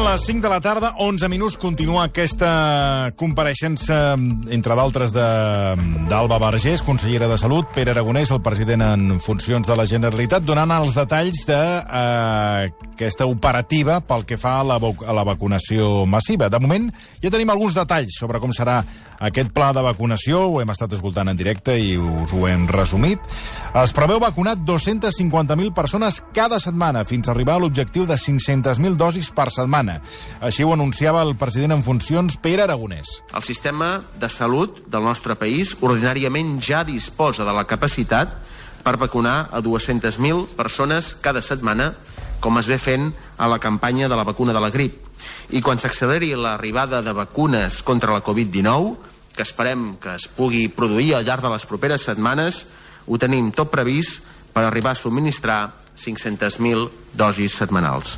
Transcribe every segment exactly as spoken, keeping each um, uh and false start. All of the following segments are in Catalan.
les cinc de la tarda, onze minuts, continua aquesta compareixença, entre d'altres, d'Alba Vergés, consellera de Salut, Pere Aragonès, el president en funcions de la Generalitat, donant els detalls d'aquesta eh, operativa pel que fa a la, a la vacunació massiva. De moment, ja tenim alguns detalls sobre com serà aquest pla de vacunació, ho hem estat escoltant en directe i us ho hem resumit. Es preveu vacunar dos-centes cinquanta mil persones cada setmana, fins a arribar a l'objectiu de cinc-centes mil dosis per setmana. Així ho anunciava el president en funcions, Pere Aragonès. El sistema de salut del nostre país ordinàriament ja disposa de la capacitat per vacunar a dues-centes mil persones cada setmana, com es ve fent a la campanya de la vacuna de la grip. I quan s'acceleri l'arribada de vacunes contra la covid dinou, que esperem que es pugui produir al llarg de les properes setmanes, ho tenim tot previst per arribar a subministrar cinc-centes mil dosis setmanals.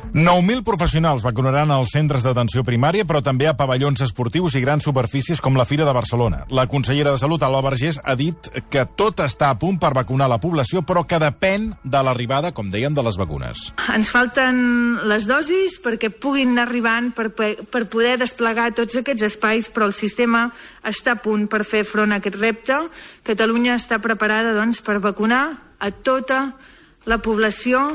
nou mil professionals vacunaran als centres d'atenció primària, però també a pavellons esportius i grans superfícies com la Fira de Barcelona. La consellera de Salut, Alba Vergés, ha dit que tot està a punt per vacunar la població, però que depèn de l'arribada, com dèiem, de les vacunes. Ens falten les dosis perquè puguin anar arribant per, per poder desplegar tots aquests espais, però el sistema està a punt per fer front a aquest repte. Catalunya està preparada, doncs, per vacunar a tota la població.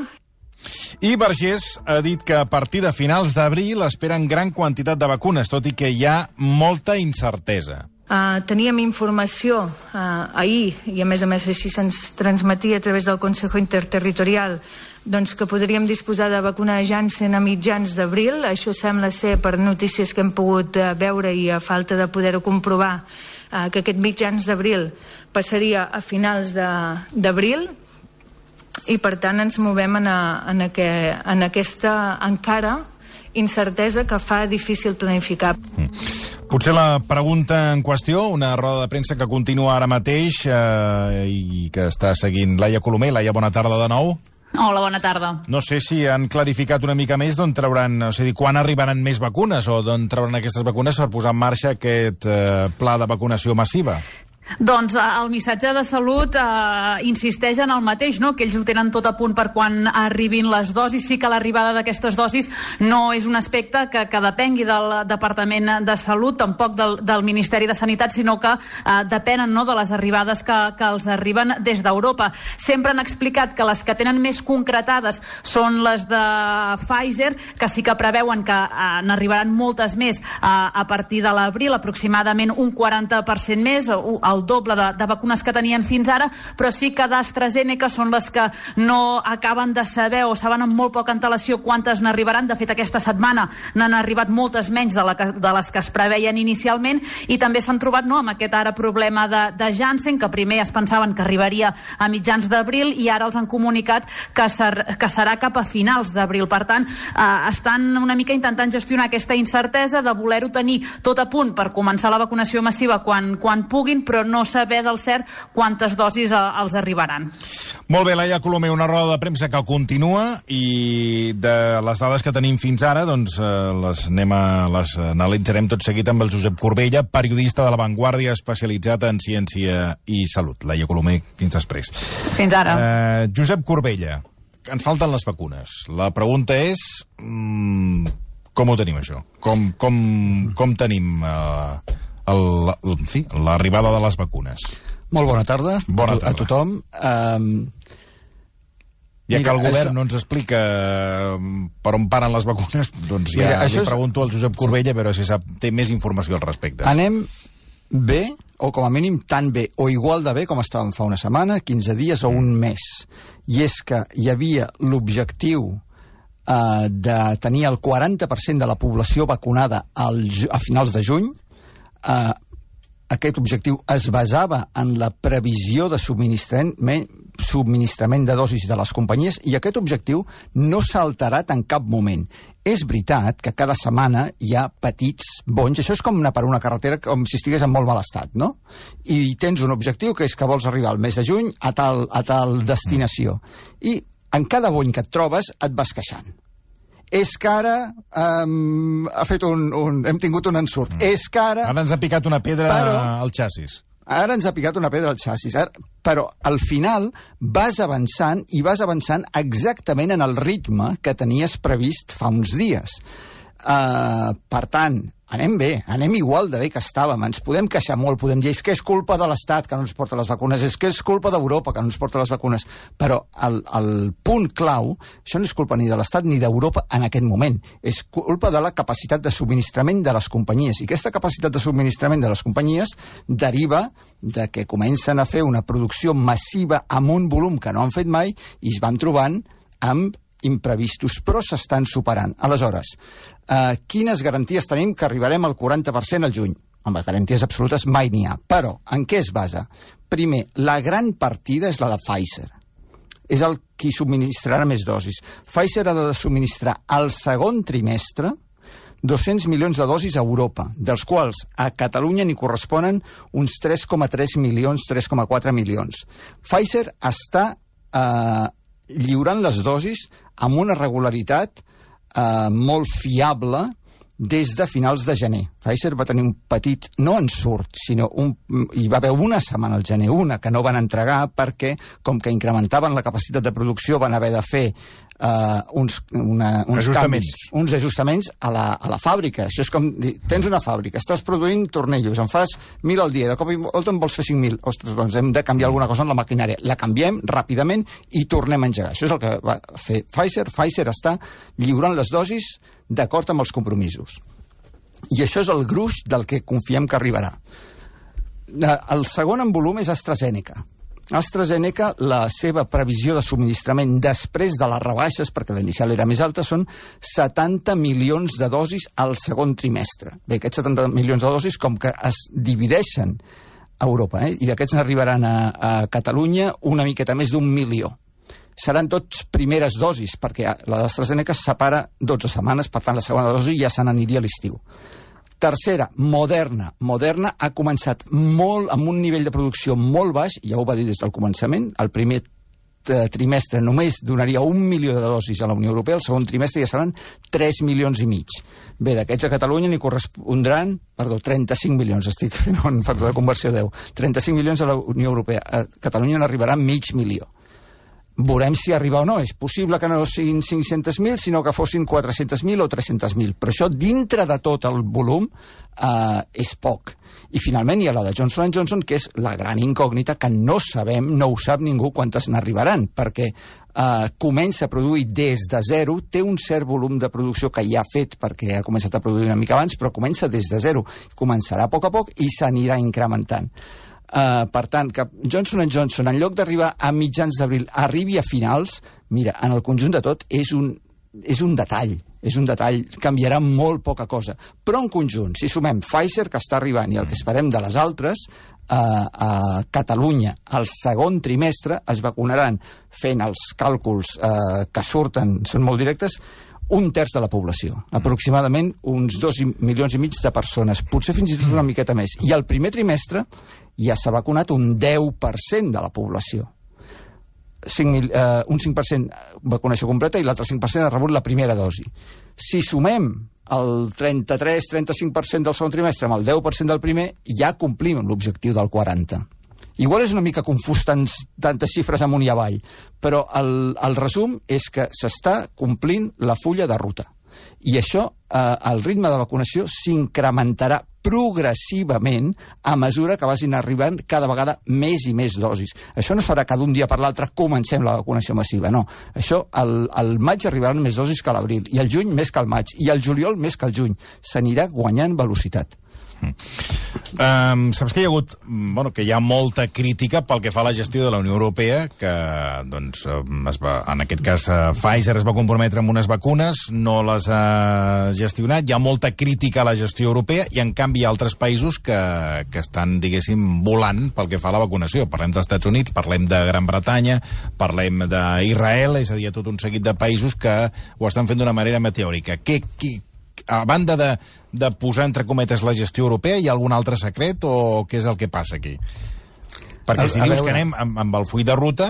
I Vergés ha dit que a partir de finals d'abril esperen gran quantitat de vacunes, tot i que hi ha molta incertesa. Uh, teníem informació uh, ahir, i a més a més així se'ns transmetia a través del Consejo Interterritorial, doncs que podríem disposar de vacuna Janssen a mitjans d'abril. Això sembla ser, per notícies que hem pogut uh, veure i a falta de poder-ho comprovar, uh, que aquest mitjans d'abril passaria a finals d'abril. I, per tant, ens movem en, a, en, a que, en aquesta encara incertesa que fa difícil planificar. Mm. Potser la pregunta en qüestió, una roda de premsa que continua ara mateix eh, i que està seguint Laia Colomer. Laia, bona tarda de nou. Hola, bona tarda. No sé si han clarificat una mica més d'on trauran, o sigui, quan arribaran més vacunes o d'on trauran aquestes vacunes per posar en marxa aquest eh, pla de vacunació massiva. Doncs el missatge de Salut eh, insisteix en el mateix, no? Que ells ho tenen tot a punt per quan arribin les dosis. Sí que l'arribada d'aquestes dosis no és un aspecte que, que depengui del Departament de Salut, tampoc del, del Ministeri de Sanitat, sinó que eh, depenen, no?, de les arribades que, que els arriben des d'Europa. Sempre han explicat que les que tenen més concretades són les de Pfizer, que sí que preveuen que eh, n'arribaran moltes més eh, a partir de l'abril, aproximadament un quaranta per cent més, el doble de, de vacunes que tenien fins ara, però sí que d'AstraZeneca són les que no acaben de saber o saben amb molt poca antelació quantes n'arribaran. De fet, aquesta setmana n'han arribat moltes menys de, la que, de les que es preveien inicialment, i també s'han trobat, no?, amb aquest ara problema de, de Janssen, que primer es pensaven que arribaria a mitjans d'abril i ara els han comunicat que, ser, que serà cap a finals d'abril. Per tant, eh, estan una mica intentant gestionar aquesta incertesa de voler-ho tenir tot a punt per començar la vacunació massiva quan, quan puguin, però no saber del cert quantes dosis els arribaran. Molt bé, Laia Colomer, una roda de premsa que continua, i de les dades que tenim fins ara, doncs eh, les, anem a, les analitzarem tot seguit amb el Josep Corbella, periodista de La Vanguardia especialitzat en ciència i salut. Laia Colomer, fins després. Fins ara. Eh, Josep Corbella, ens falten les vacunes. La pregunta és... Mm, com ho tenim, això? Com, com, com tenim... Eh, El, el, en fi, l'arribada de les vacunes. Molt bona tarda, bona tarda. a tothom. Um, ja mira, que el govern això... no ens explica per on paren les vacunes, doncs ja mira, li és... pregunto al Josep Corbella, però si sap, té més informació al respecte. Anem bé, o com a mínim tan bé, o igual de bé com estàvem fa una setmana, quinze dies o un mes. I és que hi havia l'objectiu uh, de tenir el quaranta per cent de la població vacunada al, a finals de juny. Uh, aquest objectiu es basava en la previsió de subministrament, subministrament de dosis de les companyies, i aquest objectiu no s'ha alterat en cap moment. És veritat que cada setmana hi ha petits bonys. Això és com anar per una carretera com si estigués en molt mal estat, no? I tens un objectiu que és que vols arribar al mes de juny a tal, a tal destinació. I en cada bony que et trobes et vas queixant. És que ara um, ha fet un, un, hem tingut un ensurt. Mm. És que ara... Ara ens ha picat una pedra però, al xassis. Ara ens ha picat una pedra al xassis, ara, però al final vas avançant i vas avançant exactament en el ritme que tenies previst fa uns dies. Uh, per tant, anem bé, anem igual de bé que estàvem. Ens podem queixar molt, podem dir que és culpa de l'Estat que no ens porta les vacunes, és que és culpa d'Europa que no ens porta les vacunes, però el, el punt clau, això no és culpa ni de l'Estat ni d'Europa en aquest moment, és culpa de la capacitat de subministrament de les companyies, i aquesta capacitat de subministrament de les companyies deriva de que comencen a fer una producció massiva amb un volum que no han fet mai i es van trobant amb imprevistos, però s'estan superant. Aleshores, eh, quines garanties tenim que arribarem al quaranta per cent al juny? Home, garanties absolutes mai n'hi ha. Però, en què es basa? Primer, la gran partida és la de Pfizer. És el qui subministrarà més dosis. Pfizer ha de subministrar al segon trimestre dos-cents milions de dosis a Europa, dels quals a Catalunya n'hi corresponen uns tres coma tres milions, tres coma quatre milions. Pfizer està eh, lliurant les dosis amb una regularitat eh, molt fiable des de finals de gener. Pfizer va tenir un petit, no ensurt, sinó un, hi va haver una setmana al gener, una que no van entregar perquè, com que incrementaven la capacitat de producció, van haver de fer uh, uns, una, uns ajustaments. canvis, uns ajustaments a la, a la fàbrica. Això és com dir, tens una fàbrica, estàs produint tornillos, en fas mil al dia, de cop i volta en vols fer cinc mil. Ostres, doncs hem de canviar alguna cosa en la maquinària. La canviem ràpidament i tornem a engegar. Això és el que va fer Pfizer. Pfizer està lliurant les dosis d'acord amb els compromisos. I això és el gruix del que confiem que arribarà. El segon en volum és AstraZeneca. AstraZeneca, la seva previsió de subministrament després de les rebaixes, perquè la inicial era més alta, són setanta milions de dosis al segon trimestre. Bé, aquests setanta milions de dosis com que es divideixen a Europa, eh? I d'aquests n'arribaran a, a Catalunya una miqueta més d'un milió. Seran tots primeres dosis, perquè la d'AstraZeneca es separa dotze setmanes, per tant la segona dosi ja se n'aniria a l'estiu. Tercera, Moderna. Moderna ha començat molt amb un nivell de producció molt baix, ja ho va dir des del començament, el primer trimestre només donaria un milió de dosis a la Unió Europea, el segon trimestre ja seran tres milions i mig. Bé, d'aquests a Catalunya n'hi correspondran, perdó, trenta-cinc milions, estic fent un factor de conversió deu, trenta-cinc milions a la Unió Europea, a Catalunya n'arribarà mig milió. Veurem si arriba o no. És possible que no siguin cinc-cents mil, sinó que fossin quatre-cents mil o tres-cents mil. Però això, dintre de tot el volum, eh, és poc. I finalment hi ha la de Johnson and Johnson, que és la gran incògnita, que no sabem, no ho sap ningú quantes n'arribaran, perquè eh, comença a produir des de zero, té un cert volum de producció que ja ha fet, perquè ha començat a produir una mica abans, però comença des de zero. Començarà a poc a poc i s'anirà incrementant. Uh, per tant, que Johnson and Johnson, en lloc d'arribar a mitjans d'abril, arribi a finals, mira, en el conjunt de tot, és un, és un detall, és un detall, canviarà molt poca cosa. Però en conjunt, si sumem Pfizer, que està arribant, i el que esperem de les altres, uh, a Catalunya, al segon trimestre, es vacunaran, fent els càlculs uh, que surten, són molt directes, un terç de la població, aproximadament uns dos milions i mig de persones, potser fins i tot una miqueta més. I al primer trimestre ja s'ha vacunat un deu per cent de la població. cinc mil, eh, un cinc per cent vacunació completa i l'altre cinc per cent ha rebut la primera dosi. Si sumem el trenta-tres trenta-cinc per cent del segon trimestre amb el deu per cent del primer, ja complim l'objectiu del quaranta per cent. Igual és una mica confús tants, tantes xifres amunt i avall, però el, el resum és que s'està complint la fulla de ruta. I això, eh, el ritme de vacunació s'incrementarà progressivament a mesura que vagin arribant cada vegada més i més dosis. Això no es farà que d'un dia per l'altre comencem la vacunació massiva, no. Això, al, al maig arribaran més dosis que a l'abril, i al juny més que al maig, i al juliol més que al juny. S'anirà guanyant velocitat. Um, saps que hi ha hagut, bueno, que hi ha molta crítica pel que fa a la gestió de la Unió Europea, que doncs, es va, en aquest cas Pfizer es va comprometre amb unes vacunes, no les ha gestionat, hi ha molta crítica a la gestió europea i en canvi hi ha altres països que, que estan, diguéssim, volant pel que fa a la vacunació. Parlem dels Estats Units, parlem de Gran Bretanya, parlem d'Israel, és a dir, tot un seguit de països que ho estan fent d'una manera meteòrica. Què, què, a banda de, de posar entre cometes la gestió europea, hi ha algun altre secret o què és el que passa aquí? Perquè si a, a dius veure... que anem amb, amb el full de ruta,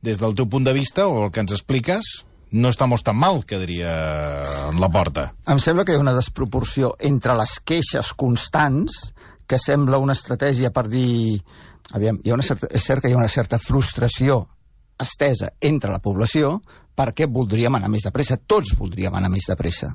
des del teu punt de vista o el que ens expliques, no estamos tan mal, quedaria en la porta. Em sembla que hi ha una desproporció entre les queixes constants que sembla una estratègia per dir... Aviam, hi ha una certa, és cert que hi ha una certa frustració estesa entre la població perquè voldríem anar més de pressa. Tots voldríem anar més de pressa.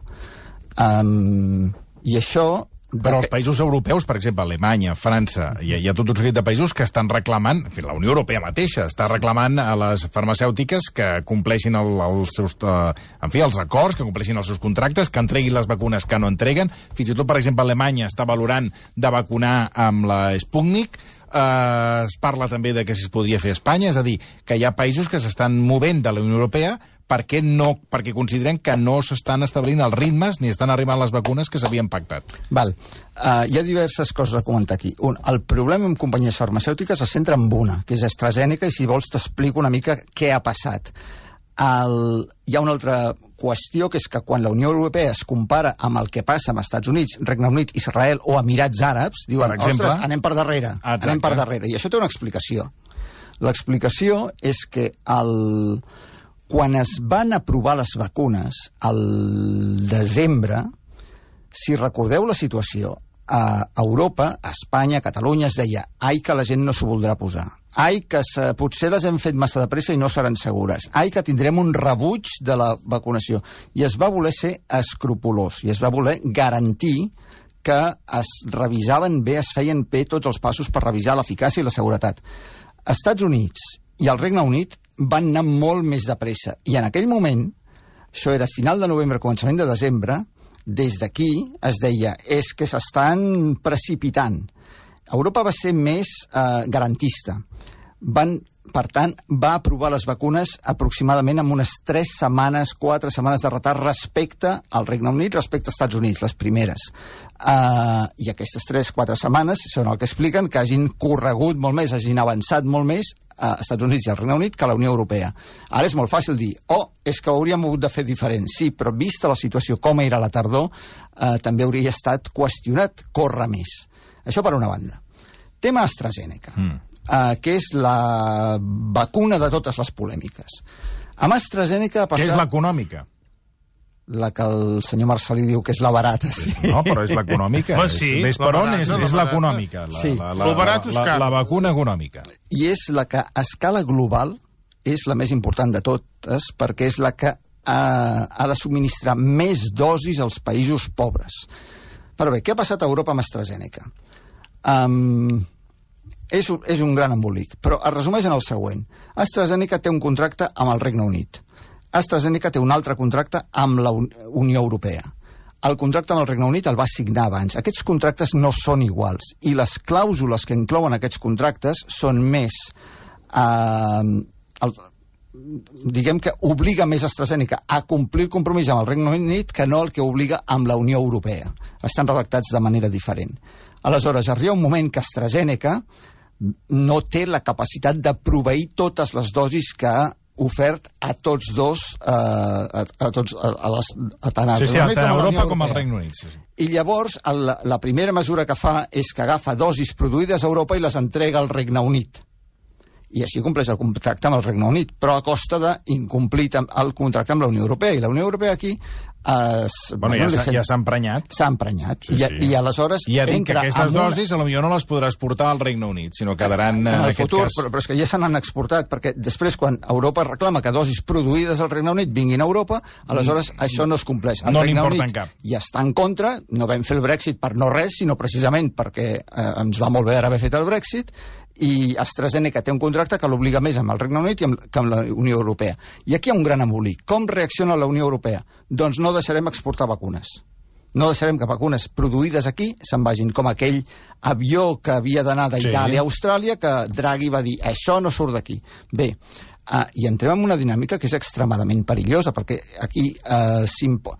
Um, I això... Però els països europeus, per exemple, Alemanya, França, hi ha, hi ha tot un seguit de països que estan reclamant, en fi, la Unió Europea mateixa està reclamant a les farmacèutiques que compleixin el, els seus, uh, en fi, els acords, que compleixin els seus contractes, que entreguin les vacunes que no entreguen. Fins i tot, per exemple, Alemanya està valorant de vacunar amb la Sputnik. Uh, es parla també de que si es podria fer a Espanya, és a dir, que hi ha països que s'estan movent de la Unió Europea perquè, no, perquè consideren que no s'estan establint els ritmes ni estan arribant les vacunes que s'havien pactat. Val. Uh, hi ha diverses coses a comentar aquí. Un, el problema amb companyies farmacèutiques es centra en una, que és AstraZeneca, i si vols t'explico una mica què ha passat. El... Hi ha una altra qüestió, que és que quan la Unió Europea es compara amb el que passa amb Estats Units, Regne Unit, Israel o Emirats Àrabs, diuen, per exemple, ostres, anem per darrere, exacte. anem per darrere. I això té una explicació. L'explicació és que el... quan es van aprovar les vacunes al desembre, si recordeu la situació, a Europa, a Espanya, a Catalunya, es deia ai, que la gent no s'ho voldrà posar. Ai, que se, potser les hem fet massa de pressa i no seran segures. Ai, que tindrem un rebuig de la vacunació. I es va voler ser escrupolós, i es va voler garantir que es revisaven bé, es feien bé tots els passos per revisar l'eficàcia i la seguretat. Estats Units i el Regne Unit van anar molt més de pressa. I en aquell moment, això era final de novembre, començament de desembre, des d'aquí es deia és que s'estan precipitant. Europa va ser més eh, garantista. Van, per tant, va aprovar les vacunes aproximadament amb unes tres setmanes, quatre setmanes de retard respecte al Regne Unit, respecte als Estats Units, les primeres. Uh, I aquestes tres, quatre setmanes són el que expliquen que hagin corregut molt més, hagin avançat molt més a Estats Units i al Regne Unit que a la Unió Europea. Ara és molt fàcil dir, oh, és que ho hauríem hagut de fer diferent. Sí, però vista la situació com era a la tardor, uh, també hauria estat qüestionat córrer més. Això per una banda. Tema AstraZeneca. Mm. Uh, que és la vacuna de totes les polèmiques. Amb AstraZeneca ha passat... Què és l'econòmica? La que el senyor Marcelí diu que és la barata. Sí. No, però és l'econòmica. Pues sí, Ves per on és, és l'econòmica. La, sí. la, la, la, la, la, la vacuna econòmica. I és la que a escala global és la més important de totes perquè és la que ha, ha de subministrar més dosis als països pobres. Però bé, què ha passat a Europa amb AstraZeneca? Um, és, un, és un gran embolic, però es resumeix en el següent. AstraZeneca té un contracte amb el Regne Unit. AstraZeneca té un altre contracte amb la Unió Europea. El contracte amb el Regne Unit el va signar abans. Aquests contractes no són iguals i les clàusules que inclouen aquests contractes són més... Eh, el, diguem que obliga més AstraZeneca a complir el compromís amb el Regne Unit que no el que obliga amb la Unió Europea. Estan redactats de manera diferent. Aleshores, arriba un moment que AstraZeneca no té la capacitat de proveir totes les dosis que ha ofert a tots dos, eh, a, a, tots, a, a, les, a tant a, sí, sí, a tant a Europa com com al Regne Unit. Sí, sí. I llavors el, la primera mesura que fa és que agafa dosis produïdes a Europa i les entrega al Regne Unit. I així compleix el contracte amb el Regne Unit, però a costa d'incomplir el contracte amb la Unió Europea. I la Unió Europea aquí... Es, bueno, ja s'ha ja emprenyat. S'ha emprenyat. Sí, I, sí. I aleshores... I ha dit que aquestes una... dosis potser no les podràs portar al Regne Unit, sinó quedaran en, en el aquest futur, cas... Però, però és que ja se n'han exportat, perquè després quan Europa reclama que dosis produïdes al Regne Unit vinguin a Europa, aleshores mm. això no es compleix. El no Regne n'importen Unit cap. ja està en contra, no vam fer el Brexit per no res, sinó precisament perquè eh, ens va molt bé ara haver fet el Brexit, i AstraZeneca té un contracte que l'obliga més amb el Regne Unit i amb, que amb la Unió Europea. I aquí hi ha un gran embolic. Com reacciona la Unió Europea? Doncs no deixarem exportar vacunes. No deixarem que vacunes produïdes aquí se'n vagin, com aquell avió que havia d'anar d'Itàlia sí. a Austràlia, que Draghi va dir, això no surt d'aquí. Bé, uh, i entrem en una dinàmica que és extremadament perillosa, perquè aquí uh, s'impo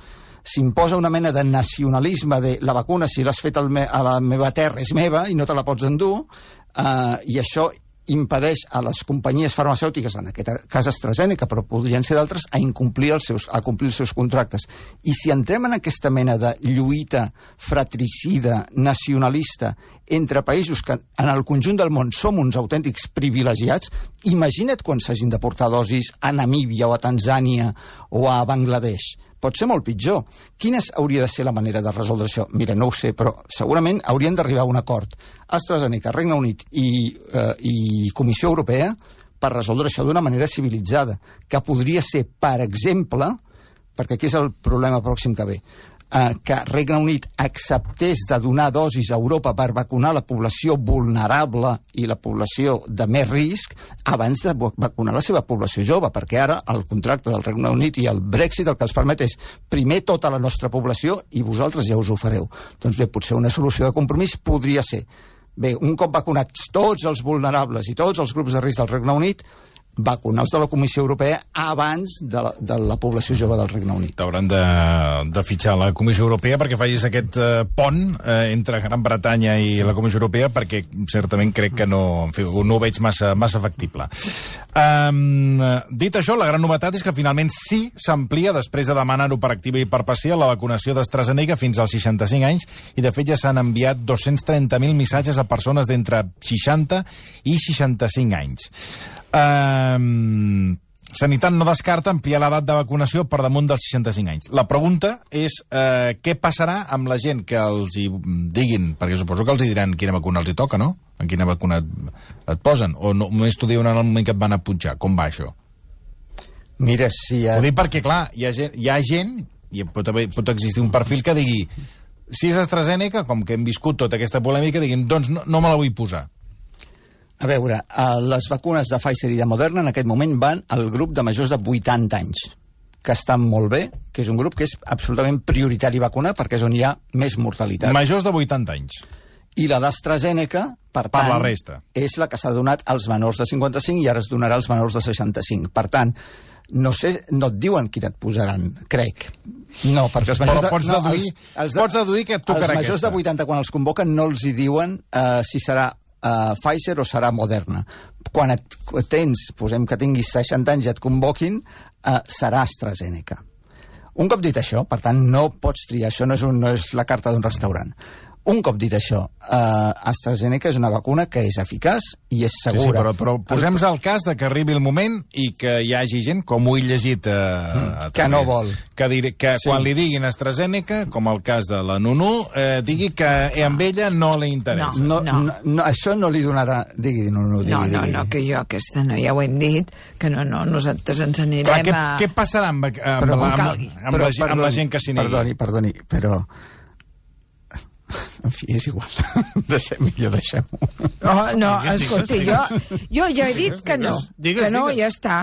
s'imposa una mena de nacionalisme de la vacuna, si l'has fet me a la meva terra és meva i no te la pots endur, uh, i això impedeix a les companyies farmacèutiques, en aquest cas AstraZeneca, però podrien ser d'altres, a incomplir els seus, a complir els seus contractes. I si entrem en aquesta mena de lluita fratricida, nacionalista, entre països que en el conjunt del món som uns autèntics privilegiats, imagina't quan s'hagin de portar dosis a Namíbia o a Tanzània o a Bangladesh. pot ser molt pitjor. Quina hauria de ser la manera de resoldre això? Mira, no ho sé, però segurament haurien d'arribar a un acord AstraZeneca, Regne Unit i, eh, i Comissió Europea per resoldre això d'una manera civilitzada, que podria ser, per exemple, perquè aquí és el problema pròxim que ve, eh, que Regne Unit acceptés de donar dosis a Europa per vacunar la població vulnerable i la població de més risc abans de vacunar la seva població jove, perquè ara el contracte del Regne Unit i el Brexit el que els permet és primer tota la nostra població i vosaltres ja us ho fareu. Doncs bé, potser una solució de compromís podria ser, bé, un cop vacunats tots els vulnerables i tots els grups de risc del Regne Unit, vacunar els de la Comissió Europea abans de la, de la població jove del Regne Unit. T'hauran de, de fitxar la Comissió Europea perquè facis aquest eh, pont eh, entre Gran Bretanya i la Comissió Europea, perquè certament crec que no, en fi, no ho veig massa, massa factible. Um, dit això, la gran novetat és que finalment sí s'amplia, després de demanar-ho per activa i per passiva, la vacunació d'AstraZeneca fins als seixanta-cinc anys, i de fet ja s'han enviat dos-cents trenta mil missatges a persones d'entre seixanta i seixanta-cinc anys. Um, Sanitat no descarta ampliar l'edat de vacunació per damunt dels seixanta-cinc anys. La pregunta és uh, què passarà amb la gent que els hi diguin, perquè suposo que els hi diran quina vacuna els hi toca, no? En quina vacuna et, et posen? O no, només t'ho diuen en el moment que et van a punxar? Com va això? Mira, si... Ha... Ho dic perquè, clar, hi ha gent, hi ha gent i pot, haver, pot existir un perfil que digui si és AstraZeneca, com que hem viscut tota aquesta polèmica, diguin, doncs no, no me la vull posar. A veure, les vacunes de Pfizer i de Moderna en aquest moment van al grup de majors de vuitanta anys, que estan molt bé, que és un grup que és absolutament prioritari vacunar perquè és on hi ha més mortalitat. Majors de vuitanta anys. I la d'AstraZeneca, per, per tant, la resta, és la que s'ha donat als menors de cinquanta-cinc i ara es donarà als menors de seixanta-cinc. Per tant, no sé, no et diuen quin et posaran, crec. No, perquè els majors... Però pots, de, deduir, no, els, els de, pots deduir que et tocarà aquesta. Els majors de vuitanta, quan els convoquen, no els hi diuen uh, si serà Uh, Pfizer o serà Moderna. Quan et tens, posem que tinguis seixanta anys i et convoquin, uh, serà AstraZeneca. Un cop dit això, per tant, no pots triar, això no és, un, no és la carta d'un restaurant. Un cop dit això, uh, AstraZeneca és una vacuna que és eficaç i és segura. Sí, sí, però, però posem-nos el cas de que arribi el moment i que hi hagi gent, com ho he llegit... Uh, que no vol. Que, dir, que sí. Quan li diguin AstraZeneca, com el cas de la Nunu, eh, digui que amb ella no li interessa. No, no, no. no, això no li donarà... Digui, Nunu, digui, no, no, digui. no, que jo aquesta no, ja ho hem dit, que no, no, nosaltres ens anirem Clar, què, a... Què passarà amb, amb, però, amb, amb, calgui. amb, però, la, amb perdoni, la gent que s'hi negui? Perdoni, perdoni, però... En fi, és igual. Deixem, millor deixem-ho. No, no, escolta, jo, jo ja he dit que no, digues, que no, digues. ja està.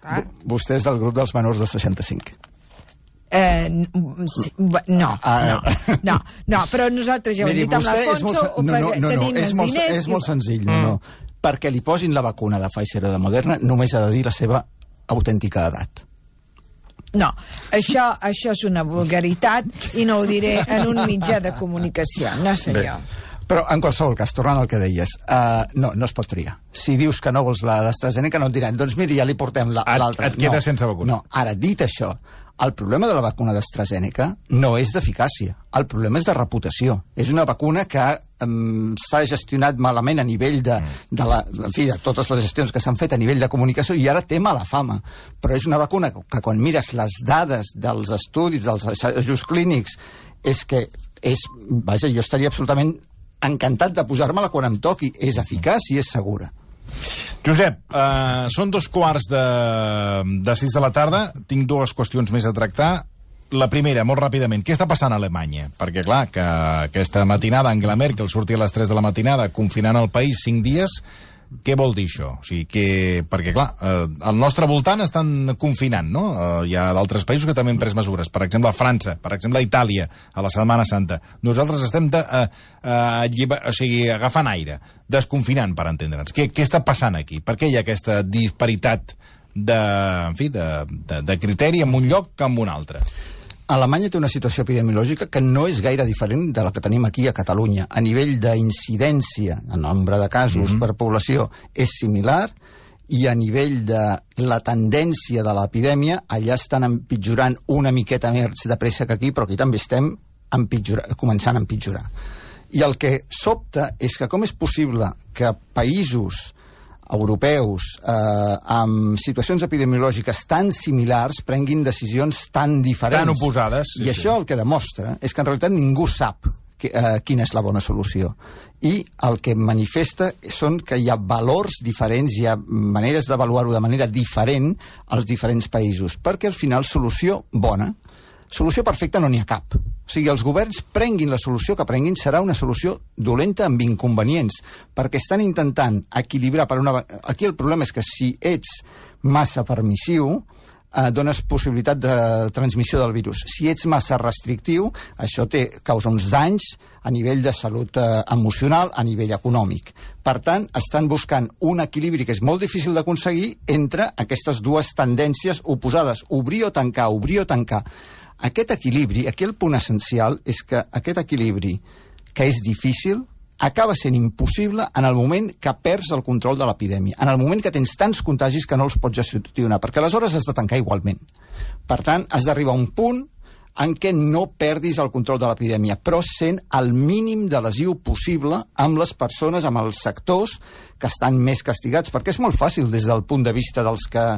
Ah. Vostè és del grup dels menors de seixanta-cinc. Eh, sí, no, Ah, no, no, no, però nosaltres ja ho hem Miri, dit amb vostè és l'Alfonso, molt, no, no, no, no, tenim és els molt, diners... és molt senzill, no, no. Perquè li posin la vacuna de Pfizer o de Moderna només ha de dir la seva autèntica edat. No, això, això és una vulgaritat i no ho diré en un mitjà de comunicació, no sé Bé. jo. Però, en qualsevol cas, tornant al que deies, uh, no, no es pot triar. Si dius que no vols la d'AstraZeneca, no et diran, doncs miri, ja li portem l'altra. Et, et quedes no, sense vacuna. No, ara, dit això, el problema de la vacuna d'AstraZeneca no és d'eficàcia, el problema és de reputació. És una vacuna que um, s'ha gestionat malament a nivell de, de, la, en fi, de totes les gestions que s'han fet a nivell de comunicació i ara té mala fama. Però és una vacuna que, que quan mires les dades dels estudis, dels assajos clínics, és que és, vaja, jo estaria absolutament encantat de posar-me-la quan em toqui. És eficaç i és segura. Josep, eh, són dos quarts de, de sis de la tarda. Tinc dues qüestions més a tractar. La primera, molt ràpidament, què està passant a Alemanya? Perquè, clar, que aquesta matinada Angela Merkel surti a les tres de la matinada confinant el país cinc dies, què vol dir això? O sigui, que, perquè, clar, eh, al nostre voltant estan confinant, no? Eh, hi ha d'altres països que també han pres mesures. Per exemple, França, per exemple, Itàlia, a la Setmana Santa. Nosaltres estem de, eh, eh, lliber, o sigui, agafant aire, desconfinant, per entendre'ns. Què, què està passant aquí? Per què hi ha aquesta disparitat de, en fi, de, de, de criteri en un lloc que en un altre? Alemanya té una situació epidemiològica que no és gaire diferent de la que tenim aquí a Catalunya. A nivell d'incidència, en nombre de casos mm-hmm. per població, és similar, i a nivell de la tendència de l'epidèmia, allà estan empitjorant una miqueta més de pressa que aquí, però aquí també estem començant a empitjorar. I el que sobta és que com és possible que països europeus eh, amb situacions epidemiològiques tan similars prenguin decisions tan diferents. Tan oposades. I sí, això sí. El que demostra és que en realitat ningú sap que, eh, quina és la bona solució. I el que manifesta són que hi ha valors diferents, hi ha maneres d'avaluar-ho de manera diferent als diferents països, perquè al final solució bona, solució perfecta no n'hi ha cap. O sigui, els governs prenguin la solució que prenguin, serà una solució dolenta amb inconvenients, perquè estan intentant equilibrar per una... Aquí el problema és que si ets massa permissiu, eh, dones possibilitat de transmissió del virus. Si ets massa restrictiu, això té, causa uns danys a nivell de salut eh, emocional, a nivell econòmic. Per tant, estan buscant un equilibri que és molt difícil d'aconseguir entre aquestes dues tendències oposades, obrir o tancar, obrir o tancar. Aquest equilibri, aquí el punt essencial és que aquest equilibri, que és difícil, acaba sent impossible en el moment que perds el control de l'epidèmia, en el moment que tens tants contagis que no els pots gestionar, perquè aleshores has de tancar igualment. Per tant, has d'arribar a un punt en què no perdis el control de l'epidèmia, però sent el mínim de lesiu possible amb les persones, amb els sectors que estan més castigats, perquè és molt fàcil des del punt de vista dels que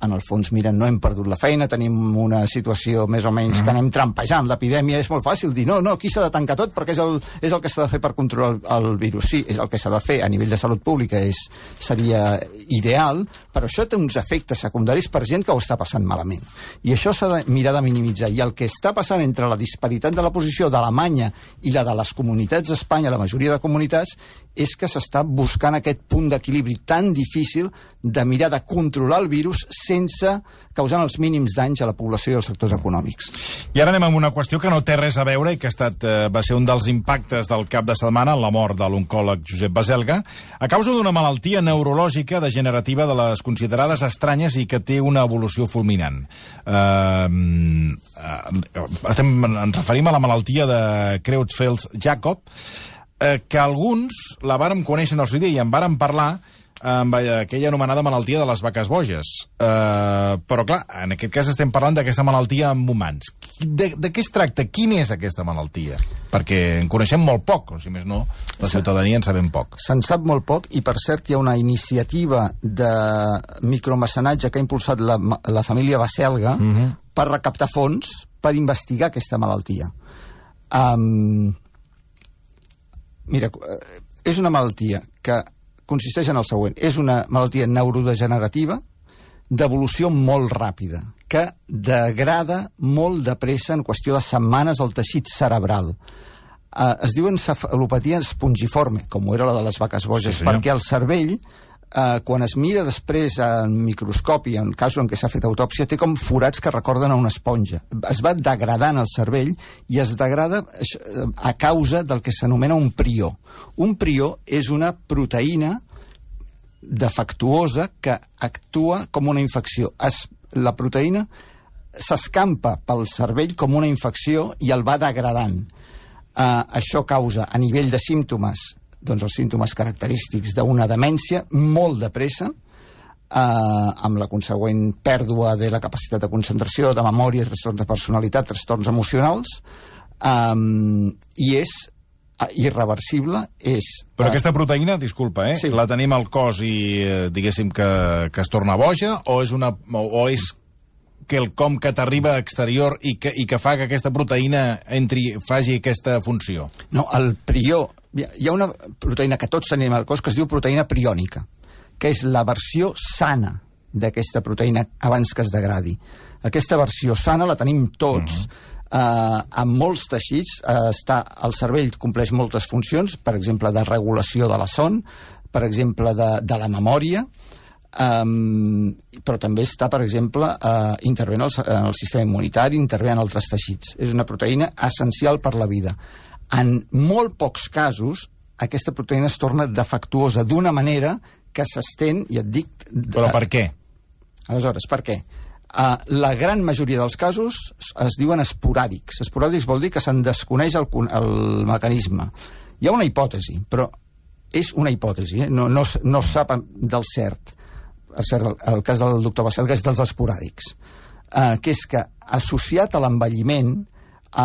en el fons, miren, no hem perdut la feina, tenim una situació més o menys que anem trampejant l'epidèmia, és molt fàcil dir, no, no, aquí s'ha de tancar tot perquè és el, és el que s'ha de fer per controlar el, el virus. Sí, és el que s'ha de fer a nivell de salut pública, és, seria ideal, però això té uns efectes secundaris per gent que ho està passant malament. I això s'ha de mirar de minimitzar. I el que està passant entre la disparitat de la posició d'Alemanya i la de les comunitats d'Espanya, la majoria de comunitats, és que s'està buscant aquest punt d'equilibri tan difícil de mirar de controlar el virus sense causant els mínims danys a la població i als sectors econòmics. I ara anem amb una qüestió que no té res a veure i que ha estat, eh, va ser un dels impactes del cap de setmana, la mort de l'oncòleg Josep Baselga, a causa d'una malaltia neurològica degenerativa de les considerades estranyes i que té una evolució fulminant. Eh, eh, estem, ens referim a la malaltia de Creutzfeldt-Jakob, eh, que alguns la vàrem conèixer en el seu dia i en vàrem parlar amb aquella anomenada malaltia de les vaques boges. Uh, però, clar, en aquest cas estem parlant d'aquesta malaltia amb humans. De, de què es tracta? Quina és aquesta malaltia? Perquè en coneixem molt poc, o si més no, la ciutadania en sabem poc. Se'n sap molt poc, i per cert hi ha una iniciativa de micromecenatge que ha impulsat la, la família Baselga uh-huh. per recaptar fons per investigar aquesta malaltia. Um, mira, és una malaltia que consisteix en el següent. És una malaltia neurodegenerativa d'evolució molt ràpida, que degrada molt de pressa en qüestió de setmanes el teixit cerebral. Uh, es diu encefalopatia espongiforme, com era la de les vaques boges, sí, perquè el cervell, uh, quan es mira després en microscopi, en casos en què s'ha fet autòpsia, té com forats que recorden a una esponja. Es va degradant el cervell i es degrada a causa del que s'anomena un prió. Un prió és una proteïna defectuosa que actua com una infecció. Es, la proteïna s'escampa pel cervell com una infecció i el va degradant. Uh, això causa, a nivell de símptomes, doncs els símptomes característics d'una demència molt de pressa, uh, amb la consegüent pèrdua de la capacitat de concentració, de memòria, trastorns de personalitat, trastorns emocionals, um, i és irreversible, és... Però aquesta proteïna, disculpa, eh? Sí. La tenim al cos i, eh, diguéssim, que, que es torna boja, o és, una, o, o és quelcom que t'arriba a exterior i que, i que fa que aquesta proteïna entri, faci aquesta funció? No, el prió... Hi ha una proteïna que tots tenim al cos que es diu proteïna priònica, que és la versió sana d'aquesta proteïna abans que es degradi. Aquesta versió sana la tenim tots, uh-huh. Uh, en molts teixits. Uh, està, el cervell compleix moltes funcions, per exemple, de regulació de la son, per exemple, de, de la memòria, um, però també està, per exemple, uh, intervé en el, en el sistema immunitari, intervé en altres teixits. És una proteïna essencial per la vida. En molt pocs casos, aquesta proteïna es torna defectuosa d'una manera que s'estén, i et dic... Però per què? Aleshores, per què? Uh, la gran majoria dels casos es diuen esporàdics. Esporàdics vol dir que se'n desconeix el, el mecanisme. Hi ha una hipòtesi, però és una hipòtesi, eh? no, no, no es sap del cert. El, cert, el cas del doctor Baselga és dels esporàdics, uh, que és que associat a l'envelliment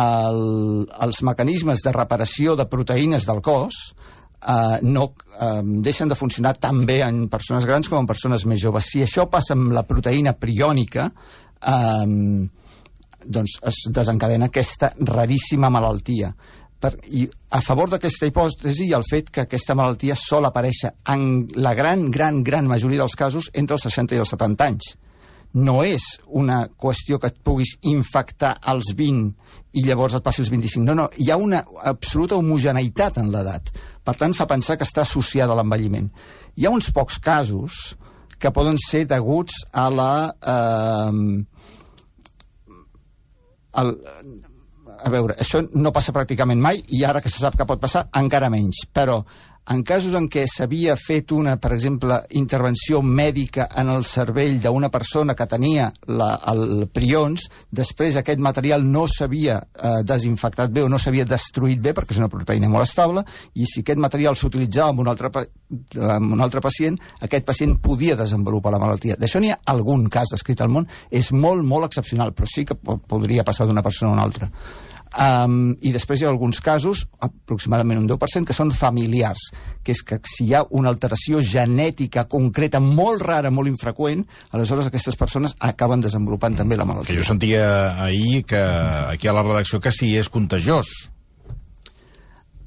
el, els mecanismes de reparació de proteïnes del cos Uh, no uh, deixen de funcionar tan bé en persones grans com en persones més joves. Si això passa amb la proteïna priònica, uh, doncs es desencadena aquesta raríssima malaltia. Per, I a favor d'aquesta hipòtesi hi ha el fet que aquesta malaltia sol aparèixer en la gran, gran, gran majoria dels casos entre els seixanta i els setanta anys. No és una qüestió que et puguis infectar als vint i llavors et passi als vint-i-cinc. No, no, hi ha una absoluta homogeneïtat en l'edat. Per tant, fa pensar que està associada a l'envelliment. Hi ha uns pocs casos que poden ser deguts a la... Eh, al, a veure, això no passa pràcticament mai i ara que se sap que pot passar, encara menys. Però en casos en què s'havia fet una, per exemple, intervenció mèdica en el cervell d'una persona que tenia la, el prions, després aquest material no s'havia eh, desinfectat bé o no s'havia destruït bé, perquè és una proteïna molt estable, i si aquest material s'utilitzava amb un altre, amb un altre pacient, aquest pacient podia desenvolupar la malaltia. D'això n'hi ha algun cas descrit al món, és molt, molt excepcional, però sí que podria passar d'una persona a una altra. Um, i després hi ha alguns casos, aproximadament un deu per cent, que són familiars, que és que si hi ha una alteració genètica concreta molt rara, molt infreqüent, aleshores aquestes persones acaben desenvolupant també la malaltia. Que jo sentia ahir que aquí a la redacció que sí és contagiós.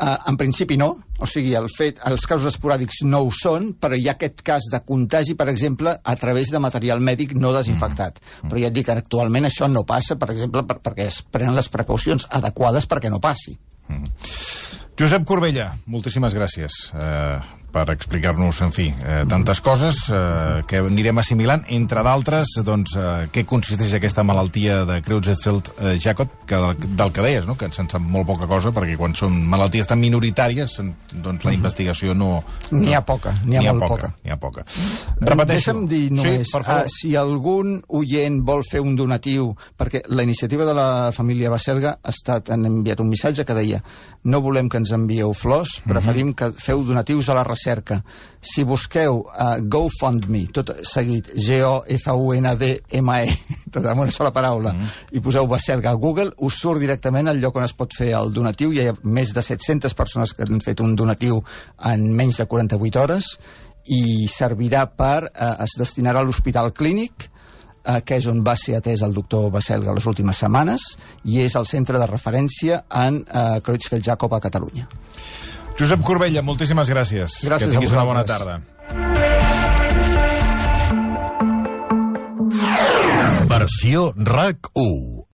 Uh, en principi no, o sigui, el fet, els casos esporàdics no ho són, però hi ha aquest cas de contagi, per exemple, a través de material mèdic no desinfectat. Mm. Però ja et dic que actualment això no passa, per exemple, per, perquè es prenen les precaucions adequades perquè no passi. Mm. Josep Corbella, moltíssimes gràcies eh, per explicar-nos, en fi, eh, tantes coses eh, que anirem assimilant, entre d'altres, doncs, eh, què consisteix aquesta malaltia de Creutzfeldt-Jakob, que del que deies, no? Que se'n sap molt poca cosa, perquè quan són malalties tan minoritàries, doncs la investigació no... N'hi ha poca, n'hi ha, ha molt poca. N'hi ha poca. Repeteixo. Deixa'm dir només, sí, uh, si algun oient vol fer un donatiu, perquè la iniciativa de la família Baselga ha estat, han enviat un missatge que deia no volem que ens envieu flors, preferim que feu donatius a la recerca. Si busqueu uh, GoFundMe, tot seguit, G O F U N D M E, tot en una sola paraula, mm. i poseu Baselga a Google, us surt directament al lloc on es pot fer el donatiu. Hi ha més de set-centes persones que han fet un donatiu en menys de quaranta-vuit hores i servirà per, uh, es destinarà a l'Hospital Clínic, Uh, que és on va ser atès el doctor Baselga les últimes setmanes, i és el centre de referència en uh, Creutzfeldt-Jakob a Catalunya. Josep Corbella, moltíssimes gràcies. Gràcies que tinguis a una bona vosaltres. tarda. Versió R A C u.